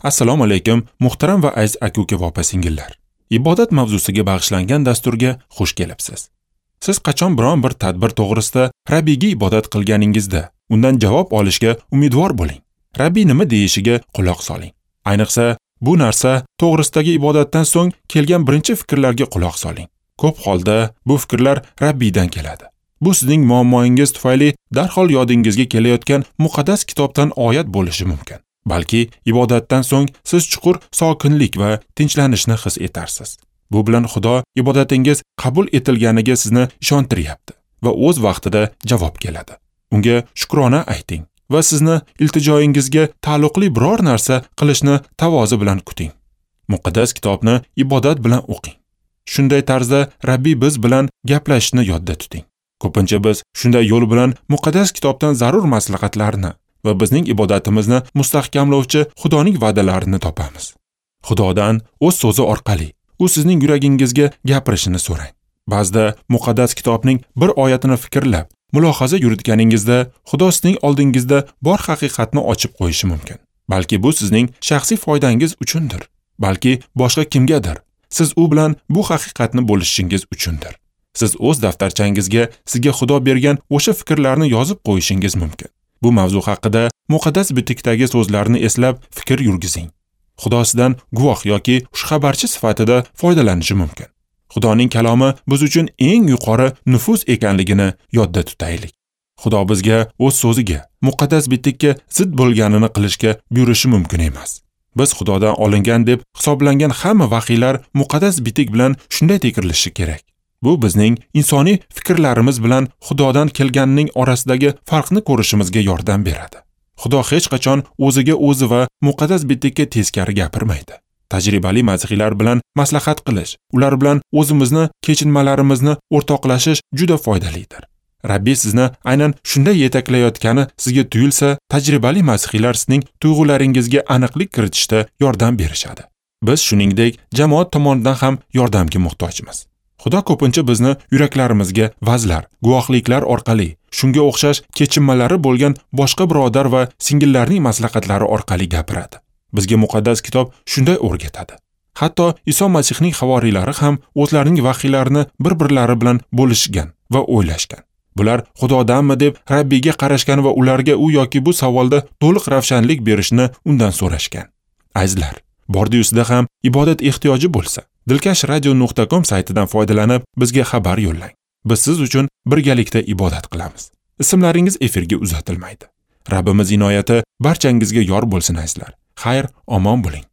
Assalomu alaykum, muhtaram va aziz aka-uka va opa-singillar. Ibodat mavzusiga bag'ishlangan dasturga xush kelibsiz. Siz qachon biron bir tadbir to'g'risida Rabbiyga ibodat qilganingizda, undan javob olishga umidvor bo'ling. Rabbiy nima deyishiga quloq soling. Ayniqsa, bu narsa to'g'risidagi ibodatdan so'ng kelgan birinchi fikrlarga quloq soling. Ko'p holda bu fikrlar Rabbiydan keladi. Bu sizning muammoingiz tufayli darhol yodingizga kelayotgan muqaddas kitobdan oyat bo'lishi mumkin. Balki ibodatdan so'ng siz chuqur sokinlik va tinchlanishni his etarsiz. Bu bilan Xudo ibodatingiz qabul etilganiga sizni ishontiryapti va o'z vaqtida javob keladi. Unga shukrona ayting va sizni iltijoyingizga taalluqli biror narsa qilishni tavozi bilan kuting. Muqaddas kitobni ibodat bilan o'qing. Shunday tarzda Rabbiy biz bilan gaplashishni yodda tuting. Ko'pincha biz shunday yo'l bilan muqaddas kitobdan zarur maslahatlarni va bizning ibodatimizni mustahkamlovchi Xudoning va'dalarini topamiz. Xudodan o'z so'zi orqali u sizning yuragingizga gapirishini so'rang. Ba'zida muqaddas kitobning bir oyatini fikrlab, mulohaza yuritganingizda Xudo sizning oldingizda bor haqiqatni ochib qo'yishi mumkin. Balki bu sizning shaxsiy foydangiz uchundir, balki boshqa kimgadir. Siz u bilan bu haqiqatni bo'lishishingiz uchundir. Siz o'z daftarchangizga sizga Xudo bergan o'sha fikrlarni yozib qo'yishingiz mumkin. Bu mavzu haqida muqaddas bitikdagi so'zlarni eslab fikr yurgizing. Xudo sizdan guvoh yoki xushxabarchi sifatida foydalanishi mumkin. Xudoning kalomi biz uchun eng yuqori nufuz ekanligini yodda tutaylik. Xudo bizga o'z so'ziga, muqaddas bitikka zid bo'lganini qilishga buyurishi mumkin emas. Biz Xudodan olingan deb hisoblangan hamma vahiylar muqaddas bitik bilan shunday tekshirilishi kerak. Bu bizning insoniy fikrlarimiz bilan Xudodan kelganining orasidagi farqni ko'rishimizga yordam beradi. Xudo hech qachon o'ziga o'zi va muqaddas bitikka teskari gapirmaydi. Tajribali masihiylar bilan maslahat qilish, ular bilan o'zimizni kechinmalarimizni o'rtoqlashish juda foydalidir. Rabbiy sizni aynan shunday yetaklayotgani sizga tuyulsa, tajribali masihiylar sizning tuyg'ularingizga aniqlik kiritishda yordam berishadi. Biz shuningdek jamoat tomonidan ham yordamga muhtojmiz. Xudo ko'pincha bizni yuraklarimizga vazlar, guvohliklar orqali, shunga o'xshash kechinmalari bo'lgan boshqa birodar va singillarning maslahatlari orqali gapiradi. Bizga muqaddas kitob shunday o'rgatadi. Hatto Iso Masihning havoriylari ham o'zlarining vahiylarini bir-birlari bilan bo'lishgan va o'ylashgan. Bular Xudodanmi deb Rabbiyga qarashgan va ularga u yoki bu savolda to'liq ravshanlik berishni undan so'rashgan. Azizlar, bordi-yusida ham ibodat ehtiyoji bo'lsa, dilkashradio.com saytidan foydalanib bizga xabar yo'llang. Biz siz uchun birgalikda ibodat qilamiz. Ismlaringiz efirga uzatilmaydi. Rabbimiz inoyati barchangizga yor bo'lsin azizlar. Xayr, omon bo'ling.